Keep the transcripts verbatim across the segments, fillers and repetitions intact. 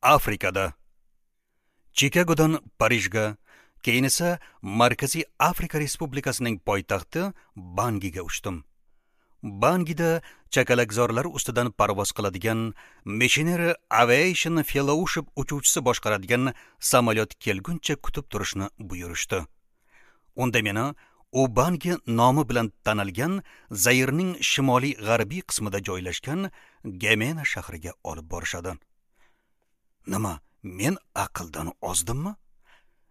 Afrikada. Chikagodan Parijga, keyin esa Markaziy Afrika Respublikasining poytaxti Bangiga uchdim. Bangida chakalakzorlar ustidan parvoz qiladigan Missionary Aviation Fellowship uchuvchisi boshqaradigan samolyot kelguncha kutib turishni buyurishdi. Unda meni Ubangi nomi bilan tanalgan Zairning shimoliy g'arbiy qismida joylashgan Gemena shahriga olib borishadi. Nima, men aqldan ozdimmi?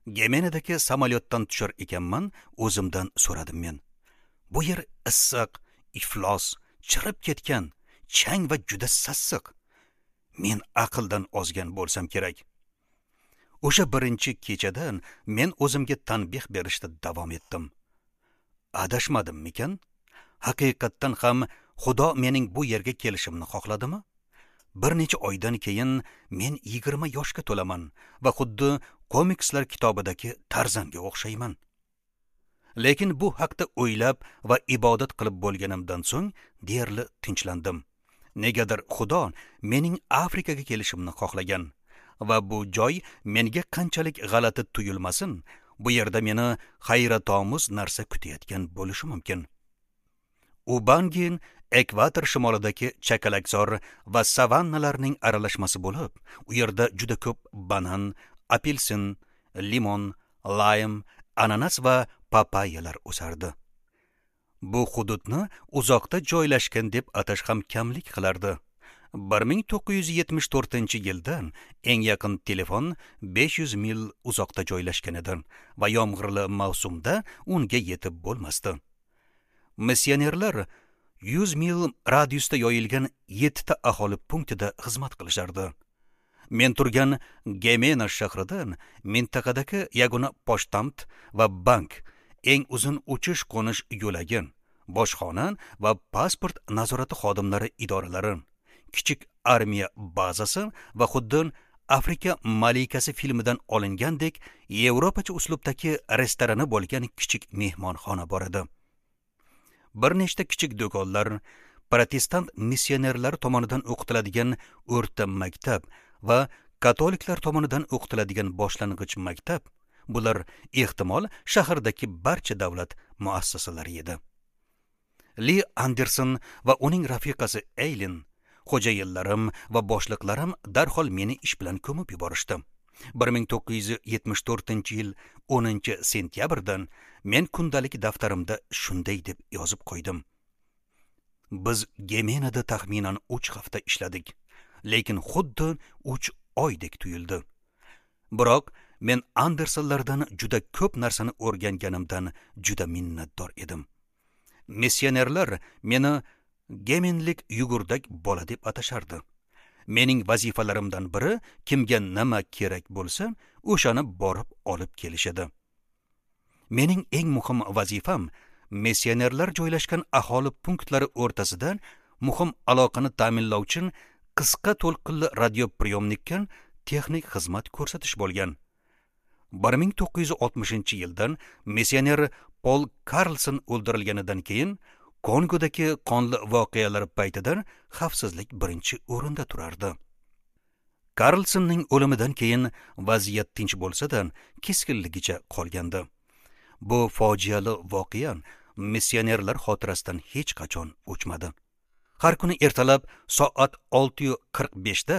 Gemenadagi samolyotdan tushar ekanman, o'zimdan so'radim men. Bu yer issiq, iflos, chirib ketgan, chang va juda sassiq. Men aqldan ozgan bo'lsam kerak. O'sha birinchi kechadan men o'zimga tanbeh berishda davom etdim. Adashmadimmikan? Haqiqatdan ham Xudo mening bu yerga kelishimni xohladimi? Bir necha oydan keyin men yigirma yoshga to'laman va xuddi komikslar kitobidagi Tarzanga o'xshayman. Lekin bu haqda o'ylab va ibodat qilib bo'lganimdan so'ng deyarli tinchlandim. Negadir Xudo mening Afrikaga kelishimni xohlagan va bu joy menga qanchalik g'alati tuyulmasin, bu yerda meni hayratomuz narsa kutayotgan bo'lishi mumkin. Ubangin ekvator shimolidagi chakalakzor va savannalarning aralashmasi bo'lib, u yerda juda ko'p banan, apelsin, limon, laym, ananas va papayalar o'sardi. Bu hududni uzoqda joylashgan deb atash ham kamlik qilardi. bir ming to'qqiz yuz yetmish to'rtinchi yildan eng yaqin telefon besh yuz mil uzoqda joylashgan edi va yomg'irli mavsumda unga yetib bo'lmasdi. Missionerlar yuz mil radiusda yoyilgan yettita aholi punktida xizmat qilishardi. Men turgan Gemena shahridan mintaqadagi yagona pochtamt va bank, eng uzun uchish qo'nish yo'lagi, bojxona va pasport nazorati xodimlari idoralari, kichik armiya bazasi va xuddi Afrika malikasi filmidan olingandek yevropacha uslubdagi restorani bo'lgan kichik mehmonxona bor edi. Bir nechta kichik do'konlar, protestant missionerlar tomonidan o'qitiladigan o'rta maktab va katoliklar tomonidan o'qitiladigan boshlang'ich maktab, bular ehtimol shahardagi barcha davlat muassasalari edi. Li Anderson va uning rafiqasi Eylin, xo'jayinlarim va boshliqlarim darhol meni ish bilan ko'mib yuborishdi. bir ming to'qqiz yuz yetmish to'rtinchi yil o'ninchi sentyabrdan men kundalik daftarimda shunday deb yozib qo'ydim. Biz Gemenada taxminan uch hafta ishladik, lekin xuddi uch oydek tuyuldi. Biroq men Andersonlardan juda ko'p narsani o'rganganimdan juda minnatdor edim. Missionerlar meni Gemenlik yugurdak bola deb atashardi. Mening vazifalarimdan biri kimga nima kerak bo'lsa, o'shani borib olib kelish edi. Mening eng muhim vazifam missionerlar joylashgan aholi punktlari o'rtasida muhim aloqani ta'minlovchi qisqa to'lqinli radiopriyomnikka texnik xizmat ko'rsatish bo'lgan. bir ming to'qqiz yuz oltmishinchi yildan missioner Pol Karlson o'ldirilganidan keyin Kongodagi qonli voqealar paytida xavfsizlik birinchi o'rinda turardi. Karlsonning o'limidan keyin vaziyat tinch bo'lsa-da, keskinligicha qolgandi. Bu fojiali voqea missionerlar xotirasidan hech qachon o'chmadi. Har kuni ertalab soat olti yu qirq beshda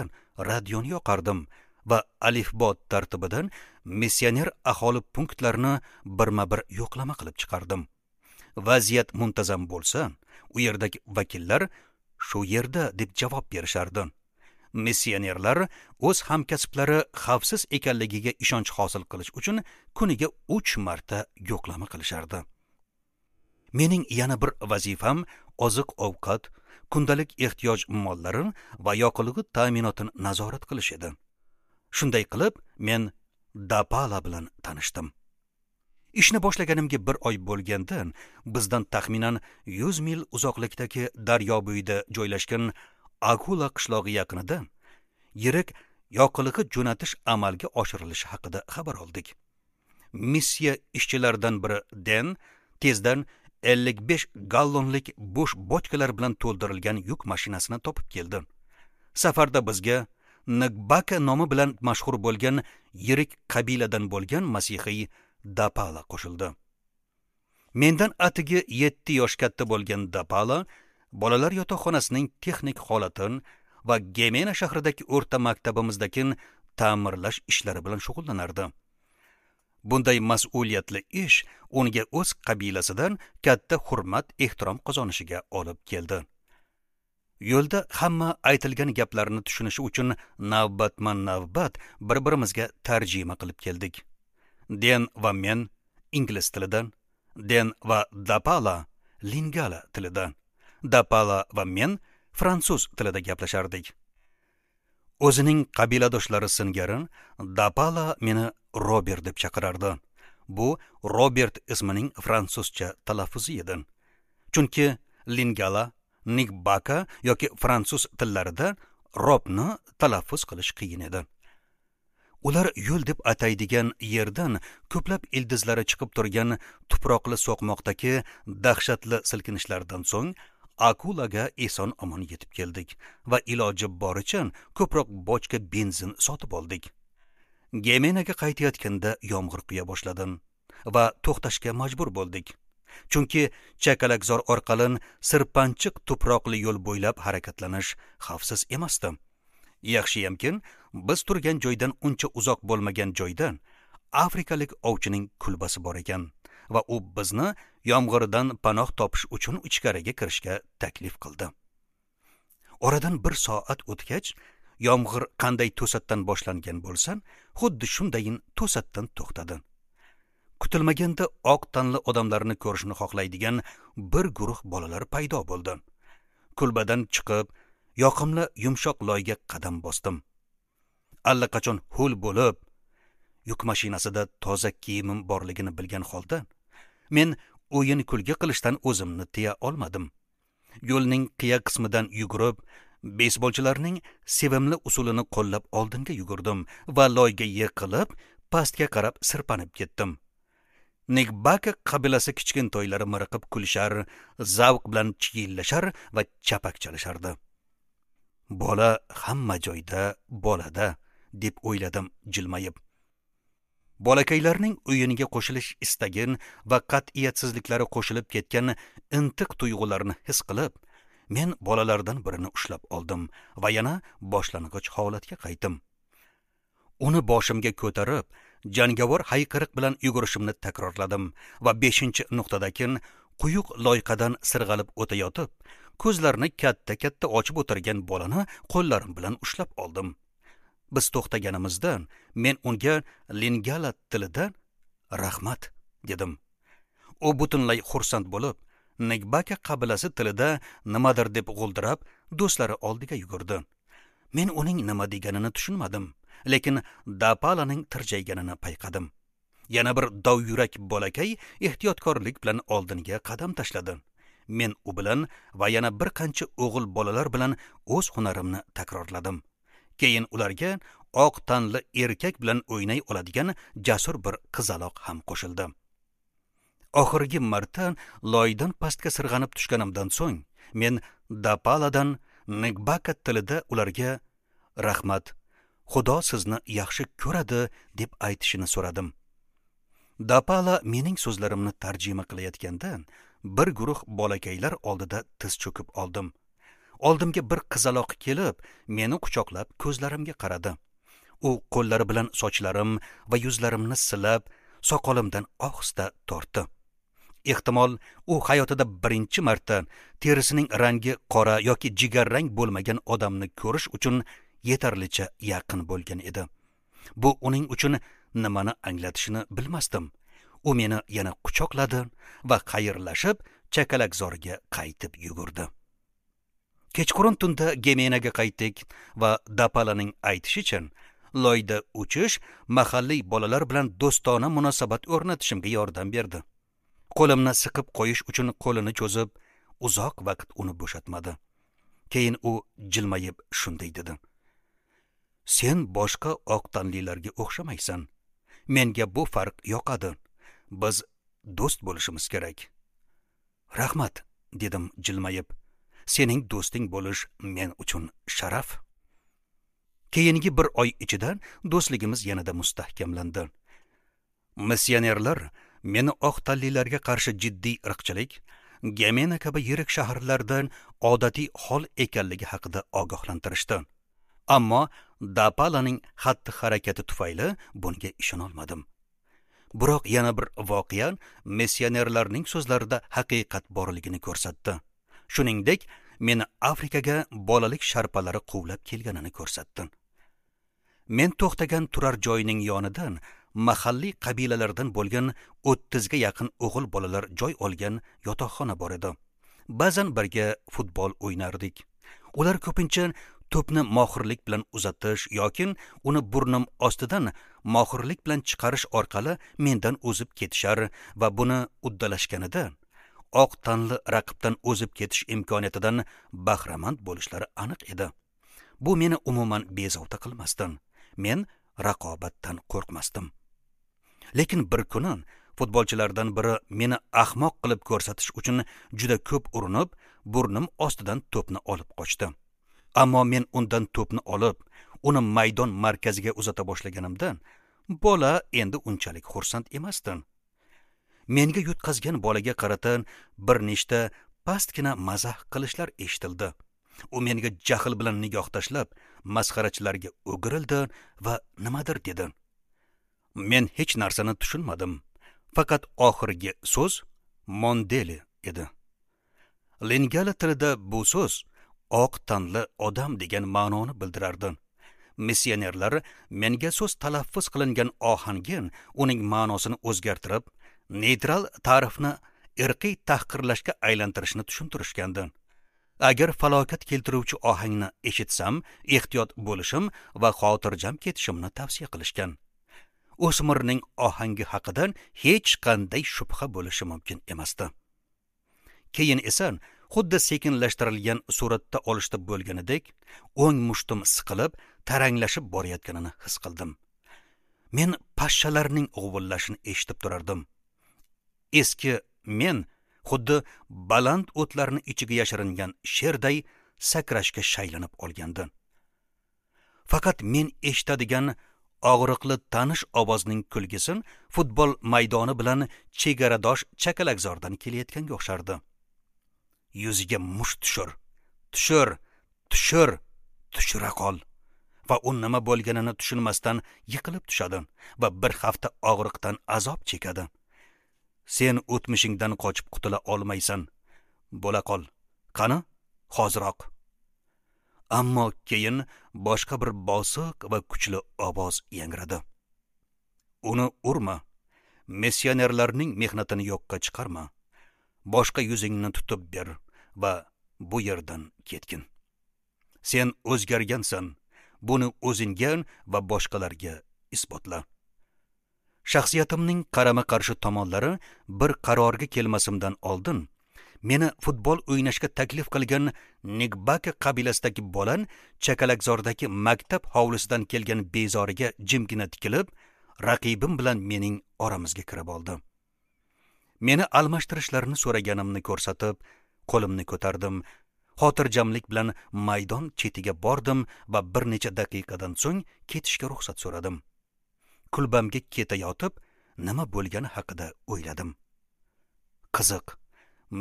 radioni yoqardim va alifbo tartibidan missioner aholi punktlarini birma-bir yo'qlama qilib chiqardim. Vaziyat muntazam bo'lsa, u yerdagi vakillar shu yerda deb javob berishardi. Missionerlar o'z hamkasblari xavfsiz ekanligiga ishonch hosil qilish uchun kuniga uch marta yo'qlama qilishardi. Mening yana bir vazifam oziq-ovqat, kundalik ehtiyoj mollari va yoqilg'i ta'minotini nazorat qilish edi. Shunday qilib, men Dapala bilan tanishdim. Ishni boshlaganimga bir oy bo'lganda, bizdan taxminan yuz mil uzoqlikdagi daryo bo'yida joylashgan Akula qishlog'i yaqinida yirik yoqilg'i jo'natish amalga oshirilishi haqida xabar oldik. Missiya ishchilaridan biri Den tezdan ellik besh gallonlik bo'sh bochkalar bilan to'ldirilgan yuk mashinasini topib keldi. Safarda bizga Ngbaka nomi bilan mashhur bo'lgan yirik qabiladan bo'lgan masihiy Dapala qo'shildi. Mendan atigi yetti yosh katta bo'lgan Dapala bolalar yotoqxonasining texnik holatini va Gemena shahridagi o'rta maktabimizdagi ta'mirlash ishlari bilan shug'ullanardi. Bunday mas'uliyatli ish unga o'z qabilasidan katta hurmat, ehtirom qozonishiga olib keldi. Yo'lda hamma aytilgan gaplarni tushunishi uchun navbatma-navbat bir-birimizga tarjima qilib keldik. Den va men ingliz tilidan, Den va Dapala lingala tilida, Dapala va men fransuz tilida gaplashardik. O'zining qabiladoshlari singari Dapala meni Robert deb chaqirardi. Bu Robert ismining fransuzcha talaffuzi edi. Chunki lingala, Ngbaka yoki fransuz tillarida Robni talaffuz qilish qiyin edi. Ular yo'l deb ataydigan yerdan ko'plab ildizlari chiqib turgan tuproqli so'qmoqdagi dahshatli silkinishlardan so'ng Akulaga eson omon yetib keldik va iloji boricha ko'proq bochka benzin sotib oldik. Gemenaga qaytayotganda yomg'ir quya boshladi va to'xtashga majbur bo'ldik. Chunki chakalakzor orqali sirpanchiq tuproqli yo'l bo'ylab harakatlanish xavfsiz emasdi. Yaxshiyamkin, biz turgan joydan uncha uzoq bo'lmagan joyda afrikalik ovchining kulbasi bor ekan va u bizni yomg'irdan panoh topish uchun ichkariga kirishga taklif qildi. Oradan bir soat o'tgach, yomg'ir qanday to'satdan boshlangan bo'lsa, xuddi shundayin to'satdan to'xtadi. Kutilmaganda oq tanli odamlarni ko'rishni xohlaydigan bir guruh bolalar paydo bo'ldi. Kulbadan chiqib, yoqimli yumshoq loyga qadam bosdim. Allaqachon ho'l bo'lib, yuk mashinasida toza kiyimim borligini bilgan holda, men o'yin kulgi qilishdan o'zimni tiya olmadim. Yo'lning qiya qismidan yugurib, beysbolchilarning sevimli usulini qo'llab oldinga yugurdim va loyga yiqilib, pastga qarab sirpanib ketdim. Ngbaka qabilasi kichkintoylari miriqib kulishar, zavq bilan chiyillashar va chapak chalishardi. Bola hamma joyda bolada, deb o'yladim jilmayib. Bolakaylarning o'yiniga qo'shilish istagin va qat'iyatsizliklari qo'shilib ketgan intiq tuyg'ularni his qilib, men bolalardan birini ushlab oldim va yana boshlang'ich holatga qaytdim. Uni boshimga ko'tarib, jangovar hayqiriq bilan yugurishimni takrorladim va beshinchi nuqtadagi quyuq loyqadan sirg'alib o'tayotib, ko'zlarini katta-katta ochib o'tirgan bolani qo'llarim bilan ushlab oldim. Biz to'xtaganimizda men unga lingala tilida rahmat dedim. U butunlay xursand bo'lib, Ngbaka qabilasi tilida nimadir deb g'o'ldirab, do'stlari oldiga yugurdi. Men uning nima deganini tushunmadim, lekin Dapalaning tirjayganini payqadim. Yana bir dovyurak bolakay ehtiyotkorlik bilan oldinga qadam tashladi. Men u bilan va yana bir qancha o'g'il bolalar bilan o'z hunarimni takrorladim. Keyin ularga oq tanli erkak bilan o'ynay oladigan jasur bir qizaloq ham qo'shildi. Oxirgi marta loydan pastga sirg'anib tushganimdan so'ng men Dapaladan Ngbaka tilida ularga rahmat, Xudo sizni yaxshi ko'radi deb aytishini so'radim. Dapala mening so'zlarimni tarjima qilayotganda bir guruh bolakaylar oldida tiz cho'kib oldim. Oldimga bir qizaloq kelib, meni quchoqlab ko'zlarimga qaradi. U qo'llari bilan sochlarim va yuzlarimni silab, soqolimdan ohista tortdi. Ehtimol, u hayotida birinchi marta terisining rangi qora yoki jigarrang bo'lmagan odamni ko'rish uchun yetarlicha yaqin bo'lgan edi. Bu uning uchun nimani anglatishini bilmasdim. U meni yana quchoqladi va xayrlashib chakalakzorga qaytib yugurdi. Kechqurun tunda Gemenaga qaytdik va Dapalaning aytishicha, loyda uchish mahalliy bolalar bilan do'stona munosabat o'rnatishimga yordam berdi. Qo'limni siqib qo'yish uchun qo'lini cho'zib, uzoq vaqt uni bo'shatmadi. Keyin u jilmayib shunday dedi: "Sen boshqa oq tanlilarga o'xshamaysan. Menga bu farq yoqadi. Biz do'st bo'lishimiz kerak." "Rahmat", dedim jilmayib. "Sening do'sting bo'lish men uchun sharaf." Keyingi bir oy ichida do'stligimiz yanada mustahkamlandi. Missionerlar meni oq tanlilarga qarshi jiddiy irqchilik Gemena kabi yirik shaharlardan odatiy hol ekanligi haqida ogohlantirishdi. Ammo Dapalaning xatti-harakati tufayli bunga ishonolmadim. Biroq yana bir voqea missionerlarning so'zlarida haqiqat borligini ko'rsatdi. Shuningdek, meni Afrikaga bolalik sharpalari quvlab kelganini ko'rsatdi. Men to'xtagan turar joyining yonidan mahalliy qabilalardan bo'lgan o'ttizga yaqin o'g'il bolalar joy olgan yotoqxona bor edi. Ba'zan birga futbol o'ynardik. Ular ko'pincha to'pni mohirlik bilan uzatish yoki uni burnim ostidan mohirlik bilan chiqarish orqali mendan o'zib ketishar va buni uddalashganida oq tanli raqibdan o'zib ketish imkoniyatidan bahramand bo'lishlari aniq edi. Bu meni umuman bezovta qilmasdi. Men raqobatdan qo'rqmasdim. Lekin bir kuni futbolchilardan biri meni ahmoq qilib ko'rsatish uchun juda ko'p urinib, burnim ostidan to'pni olib qochdi. Ammo men undan to'pni olib, uni maydon markaziga uzata boshlaganimda, bola endi unchalik xursand emasdi. Menga yutqazgan bolaga qarata bir nechta pastgina mazax qilishlar eshitildi. U menga jahl bilan nigoh tashlab, masxarachilarga o'girildi va nimadir dedi. Men hech narsani tushunmadim. Faqat oxirgi so'z Mondeli edi. Lingala tilida bu so'z oq tanli odam degan ma'noni bildirardi. Missionerlar menga so'z talaffuz qilingan ohangin uning ma'nosini o'zgartirib, neytral ta'rifni irqiy tahqirlashga aylantirishni tushuntirishgandi. Agar falokat keltiruvchi ohangni eshitsam, ehtiyot bo'lishim va xotirjam ketishimni tavsiya qilishgan. O'smirning ohangi haqida hech qanday shubha bo'lishi mumkin emasdi. Keyin esa xuddi sekinlashtirilgan suratda olishda bo'lganidek, o'ng mushtum siqilib, taranglashib borayotganini his qildim. Men pashshalarning g'uvillashini eshitib turardim. Eski men xuddi baland o'tlarni ichiga yashiringan sherday sakrashga shaylanib olgandi. Faqat men eshitadigan og'riqli tanish ovozning kulgisi futbol maydoni bilan chegaradosh chakalakzordan kelayotganga o'xshardi. Yuziga musht tushir, tushir, tushir, tushira qol. Va u nima bo'lganini tushunmasdan yiqilib tushadi va bir hafta og'riqdan azob chekadi. Sen o'tmishingdan qochib qutula olmaysan. Bo'la qol. Qani, hoziroq. Ammo keyin boshqa bir bosiq va kuchli ovoz yangradi. Uni urma. Missionerlarning mehnatini yo'qqa chiqarma. Boshqa yuzingni tutib ber va bu yerdan ketgin. Sen o'zgargansan. Buni o'zingga va boshqalarga isbotla. Shaxsiyatimning qarama-qarshi tomonlari bir qarorga kelmasimdan oldin meni futbol o'ynashga taklif qilgan Nigbaka qabilasidagi bolan chakalakzordagi maktab hovlisidan kelgan bezoriga jimgina tikilib, raqibim bilan mening oramizga kirib oldi. Meni almashtirishlarini so'raganimni ko'rsatib, qo'limni ko'tardim. Xotirjamlik bilan maydon chetiga bordim va bir necha daqiqadan so'ng ketishga ruxsat so'radim. Kulbamga ketayotib, nima bo'lgani haqida o'yladim. Qiziq,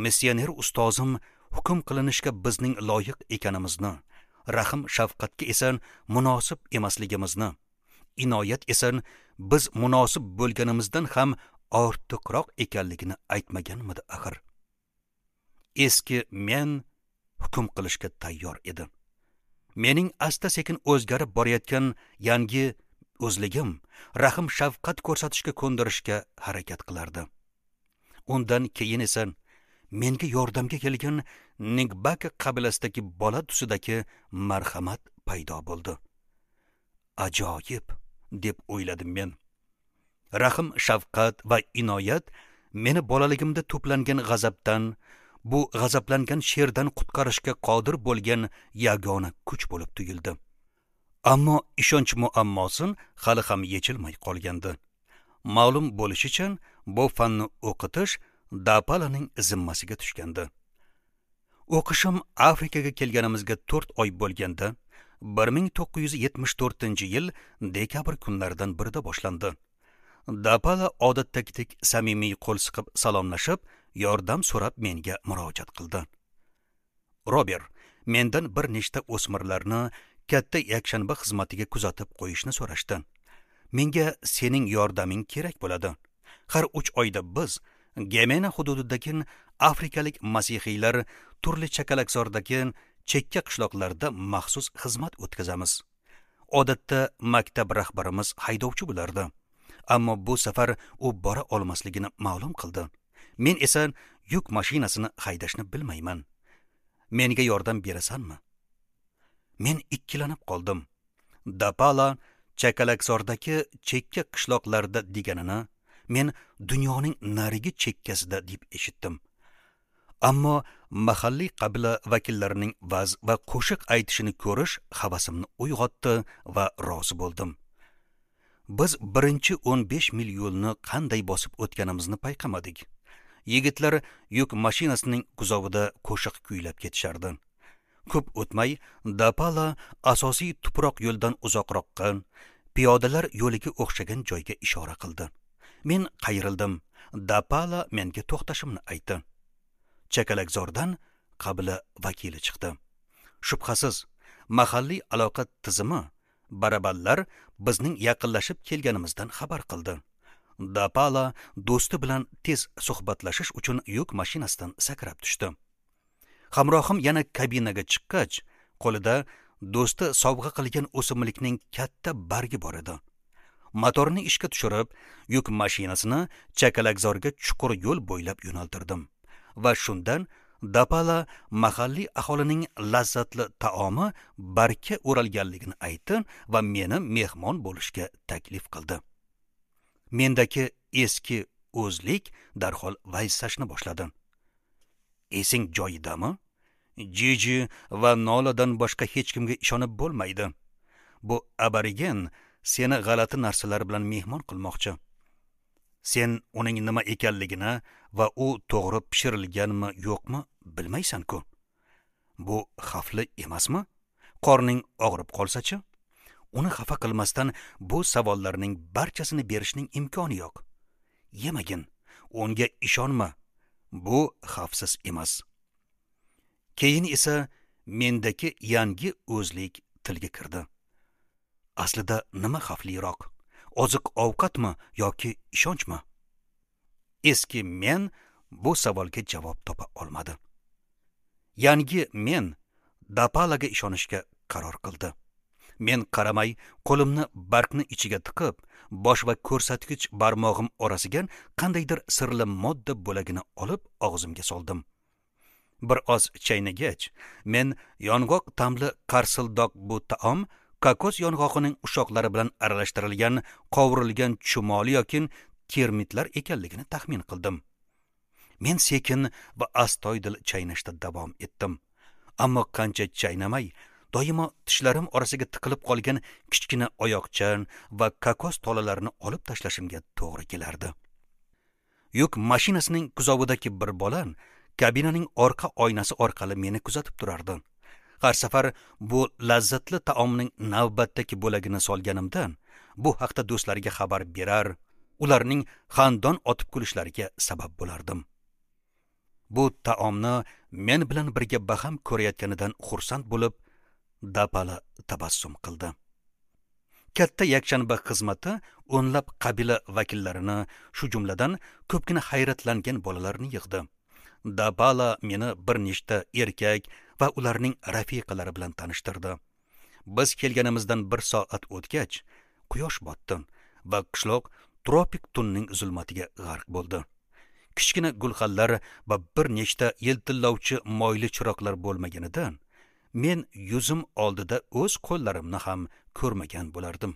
missioner ustozim hukm qilinishga bizning loyiq ekanimizni, rahm shafqatga esa munosib emasligimizni, inoyat esa biz munosib bo'lganimizdan ham ortiqroq ekanligini aytmaganmidi axir? Eski men hukm qilishga tayyor edim. Mening asta-sekin o'zgarib borayotgan yangi o'zligim rahm shafqat ko'rsatishga ko'ndirishga harakat qilardi. Undan keyin esa menga yordamga kelgan Nigbaka qabilasidagi bola tusidagi marhamat paydo bo'ldi. Ajoyib, deb o'yladim men. Rahm shafqat va inoyat meni bolaligimda to'plangan g'azabdan, bu g'azablangan sherdan qutqarishga qodir bo'lgan yagona kuch bo'lib tuyuldi. Ammo ishonch muammosi hali ham yechilmay qolgandi. Ma'lum bo'lishicha, bu fanni o'qitish Dapalaning zimmasiga tushgandi. O'qishim Afrikaga kelganimizga to'rt oy bo'lganda, bir ming to'qqiz yuz yetmish to'rtinchi yil dekabr kunlaridan birida boshlandi. Dapala odatdagidek samimiy qo'l siqib salomlashib, yordam so'rab menga murojaat qildi. Robert, mendan bir nechta o'smirlarni katta yakshanba xizmatiga kuzatib qo'yishni so'rashdi. Menga sening yordaming kerak bo'ladi. Har uch oyda biz Gemena hududidagi afrikalik masihiylar turli chakalakzordagi chekka qishloqlarda maxsus xizmat o'tkazamiz. Odatda maktab rahbarimiz haydovchi bo'lardi. Ammo bu safar u bora olmasligini ma'lum qildi. Men esa yuk mashinasini haydashni bilmayman. Menga yordam berasanmi? Men ikkilanib qoldim. Dapala chakalakzordagi chekka qishloqlarda deganini men dunyoning narigi chekkasida deb eshitdim. Ammo mahalliy qabila vakillarining vaz va qo'shiq aytishini ko'rish havasimni uyg'otdi va rozi bo'ldim. Biz birinchi o'n besh mil yo'lni qanday bosib o'tganimizni payqamadik. Yigitlar yuk mashinasining kuzovida qo'shiq kuylab ketishardi. Ko'p o'tmay Dapala asosiy tuproq yo'ldan uzoqroqqa, piyodalar yo'liga o'xshagan joyga ishora qildi. Men qayrildim. Dapala menga to'xtashimni aytdi. Chakalakzordan qabila vakili chiqdi. Shubhasiz, mahalliy aloqa tizimi barabanlar bizning yaqinlashib kelganimizdan xabar qildi. Dapala do'sti bilan tez suhbatlashish uchun yuk mashinasidan sakrab tushdi. Hamrohim yana kabinaga chiqqach, qo'lida do'sti sovg'a qilgan o'simlikning katta bargi bor edi. Motorni ishga tushirib, yuk mashinasini chakalakzorga chuqur yo'l bo'ylab yo'naltirdim. Va shundan Dapala mahalliy aholining lazzatli taomi barka o'ralganligini aytdi va meni mehmon bo'lishga taklif qildi. Mendagi eski o'zlik darhol vaysashni boshladi. Esing joyidami? Jiji va Noladan boshqa hech kimga ishonib bo'lmaydi. Bu aborigen seni g'alati narsalar bilan mehmon qilmoqchi. Sen uning nima ekanligini va u to'g'ri pishirilganmi yo'qmi bilmaysan-ku. Bu xavfli emasmi? Qorning og'rib qolsa-chi? Uni xafa qilmasdan bu savollarning barchasini berishning imkoni yo'q. Yemagin, unga ishonma. Bu xavfsiz emas. Keyin esa mendagi yangi o'zlik tilga kirdi. Aslida nima xavfliroq? Oziq-ovqatmi yoki ishonchmi? Eski men bu savolga javob topa olmadi. Yangi men Dapalaga ishonishga qaror qildi. Men qaramay qo'limni bargni ichiga tiqib, bosh va ko'rsatkich barmog'im orasiga qandaydir sirli modda bo'lagini olib og'zimga soldim. Bir oz chaynagach, men yong'oq ta'mli qarsildoq bu taom kokos yong'og'ining ushoqlari bilan aralashtirilgan qovurilgan chumoli yoki termitlar ekanligini taxmin qildim. Men sekin va astoydil chaynashda davom etdim. Ammo qancha chaynamay, doimo tishlarim orasiga tiqilib qolgan kichkina oyoqcha va kokos tolalarini olib tashlashimga to'g'ri kelardi. Yuk mashinasining kuzovidagi bir bola kabinaning orqa oynasi orqali meni kuzatib turardi. Har safar bu lazzatli taomning navbatdagi bo'lagini solganimda, bu haqda do'stlariga xabar berar, ularning xandon otib kulishlariga sabab bo'lardim. Bu taomni men bilan birga baham ko'rayotganidan xursand bo'lib, Dapala tabassum qildi. Katta yakshanba xizmati o'nlab qabila vakillarini, shu jumladan ko'pgina hayratlangan bolalarni yig'di. Dapala meni bir nechta erkak va ularning rafiqalari bilan tanishtirdi. Biz kelganimizdan bir soat o'tgach, quyosh botdi va qishloq tropik tunning zulmatiga g'arq bo'ldi. Kichkina gulxanlar va bir nechta yiltillovchi moyli chiroqlar bo'lmaganidan men yuzim oldida o'z qo'llarimni ham ko'rmagan bo'lardim.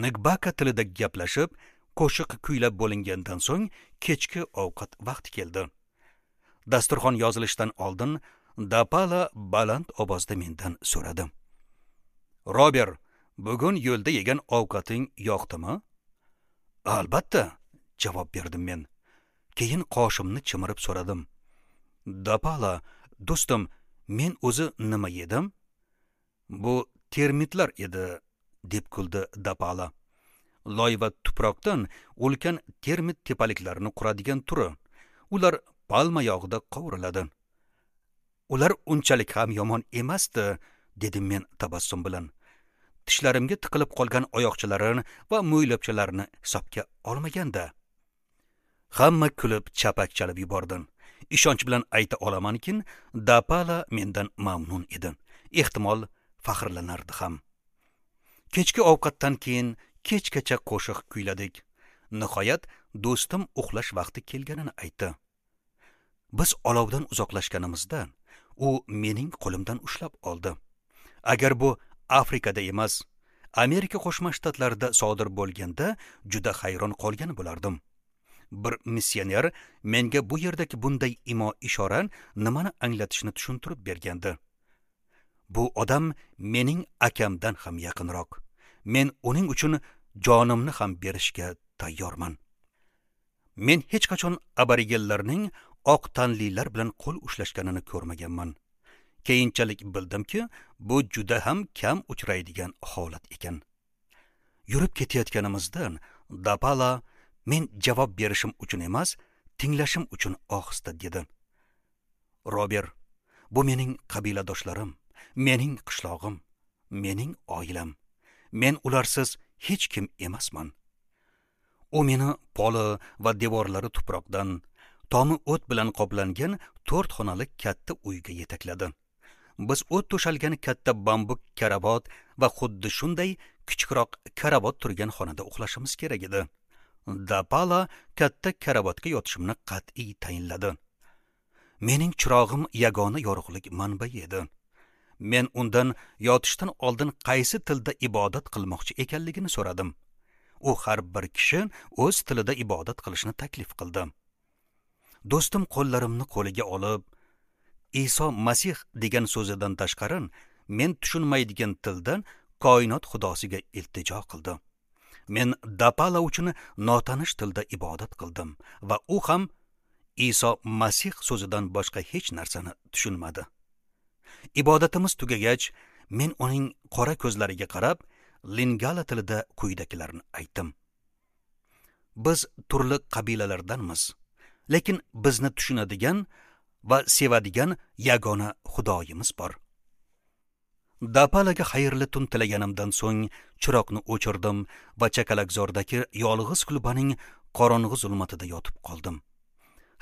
Ngbaka tilida gaplashib, qo'shiq kuylab bo'lingandan so'ng kechki ovqat vaqti keldi. Dasturxon yozilishdan oldin Dapala baland ovozda mendan so'radi. Robert, bugun yo'lda yegan ovqating yoqdimi? Albatta, javob berdim men. Keyin qoshimni chimirib so'radim. Dapala, do'stim, men o'zi nima yedim? Bu termitlar edi, deb kuldi Dapala. Loy va tuproqdan ulkan termit tepaliklarini quradigan turi. Ular palma yog'ida qovuriladi. Ular unchalik ham yomon emasdi, dedim men tabassum bilan. Tishlarimga tiqilib qolgan oyoqchalarini va mo'ylabchalarini hisobga olmaganda. Hamma kulib chapak chalib yubordi. Ishonch bilan ayta olamanki, Dapala mendan mamnun edi. Ehtimol faxrlanardi ham. Kechki ovqatdan keyin kechgacha qo'shiq kuyladik. Nihoyat do'stim uxlash vaqti kelganini aytdi. Biz olovdan uzoqlashganimizda u mening qo'limdan ushlab oldi. Agar bu Afrikada emas, Amerika Qo'shma Shtatlarida sodir bo'lganda juda hayron qolgan bo'lardim. Bir missioner menga bu yerdagi bunday imo ishora nimani anglatishini tushuntirib bergandi. Bu odam mening akamdan ham yaqinroq. Men uning uchun jonimni ham berishga tayyorman. Men hech qachon aborigenlarning oq tanlilar bilan qo'l ushlashganini ko'rmaganman. Keyinchalik bildimki, bu juda ham kam uchraydigan holat ekan. Yurib ketayotganimizdan Dapala men javob berishim uchun emas, tinglashim uchun ohista dedi. Robert, bu mening qabiladoshlarim, mening qishlog'im, mening oilam. Men ularsiz hech kim emasman. U meni poli va devorlari tuproqdan, tomi o't bilan qoplangan to'rt xonali katta uyga yetakladi. Biz o't to'shalgan katta bambuk karavot va xuddi shunday kichikroq karavot turgan xonada uxlashimiz kerak edi. Dapala katta karavotga yotishimni qat'iy tayinladi. Mening chirog'im yagona yorug'lik manbai edi. Men undan yotishdan oldin qaysi tilda ibodat qilmoqchi ekanligini so'radim. U har bir kishi o'z tilida ibodat qilishni taklif qildi. Do'stim qo'llarimni qo'liga olib, Iso Masih degan so'zidan tashqari men tushunmaydigan tildan koinot xudosiga iltijo qildi. Men Dapala uchun notanish tilda ibodat qildim va u ham Iso Masih so'zidan boshqa hech narsani tushunmadi. Ibodatimiz tugagach, men uning qora ko'zlariga qarab, lingala tilida quyidagilarni aytdim. Biz turli qabilalardanmiz, lekin bizni tushunadigan va sevadigan yagona Xudoyimiz bor. Dapalaga xayrli tun tilaganimdan so'ng chiroqni o'chirdim va chakalakzordagi yolg'iz kulbaning qorong'i zulmatida yotib qoldim.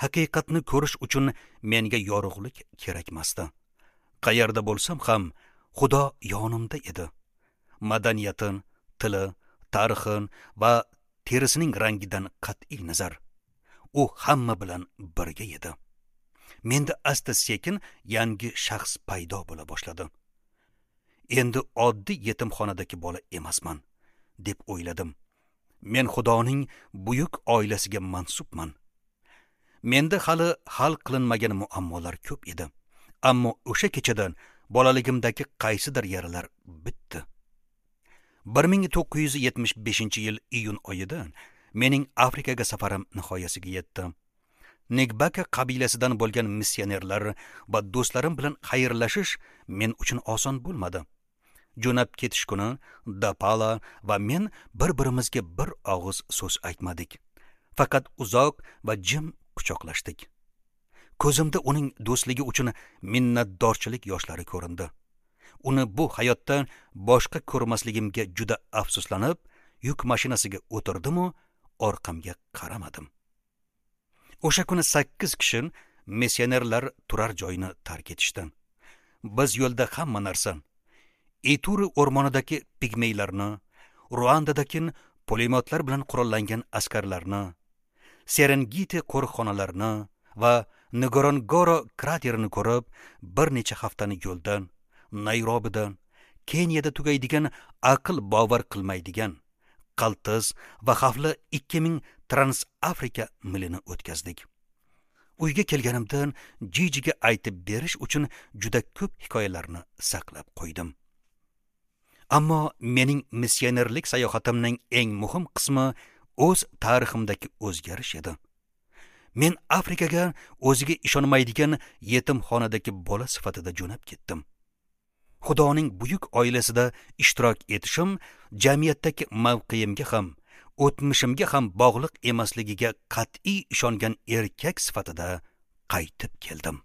Haqiqatni ko'rish uchun menga yorug'lik kerakmasdi. Qayerda bo'lsam ham Xudo yonimda edi. Madaniyati, tili, tarixi va terisining rangidan qat'iy nazar, u hamma bilan birga edi. Menda asta-sekin yangi shaxs paydo bo'la boshladi. Endi oddiy yetimxonadagi bola emasman, deb o'yladim. Men Xudoning buyuk oilasiga mansubman. Menda hali hal qilinmagan muammolar ko'p edi. Ammo o'sha kechadan bolaligimdagi qaysidir yaralar bitdi. bir ming to'qqiz yuz yetmish beshinchi yil iyun oyida mening Afrikaga safarim nihoyasiga yetdi. Negbaka qabilasidan bo'lgan missionerlar va do'stlarim bilan xayrlashish men uchun oson bo'lmadi. Jo'nab ketish kuni Dapala va men bir-birimizga bir og'iz so'z aytmadik. Faqat uzoq va jim quchoqlashdik. Ko'zimda uning do'stligi uchun minnatdorchilik yoshlari ko'rindi. Uni bu hayotda boshqa ko'rmasligimga juda afsuslanib, yuk mashinasiga o'tirdim-u, orqamga qaramadim. O'sha kuni sakkiz kishi missionerlar turar joyini tark etishdi. Biz yo'lda hamma narsa, Ituri o'rmonidagi pigmeylarni, Ruandadagi pulemyotlar bilan qurollangan askarlarni, Serengeti qo'riqxonalarini va Ngorongoro kraterini ko'rib, bir necha haftani yo'lda, Nayrobida, Keniyada tugaydigan aql bovar qilmaydigan qaltis va xavfli ikki ming Trans-Afrika milini o'tkazdik. Uyga kelganimdan Jijiga aytib berish uchun juda ko'p hikoyalarni saqlab qo'ydim. Ammo mening missionerlik sayohatimning eng muhim qismi o'z tariximdagi o'zgarish edi. Men Afrikaga o'ziga ishonmaydigan yetimxonadagi bola sifatida jo'nab ketdim. Xudoning buyuk oilasida ishtirok etishim jamiyatdagi mavqeimga ham, o'tmishimga ham bog'liq emasligiga qat'iy ishongan erkak sifatida qaytib keldim.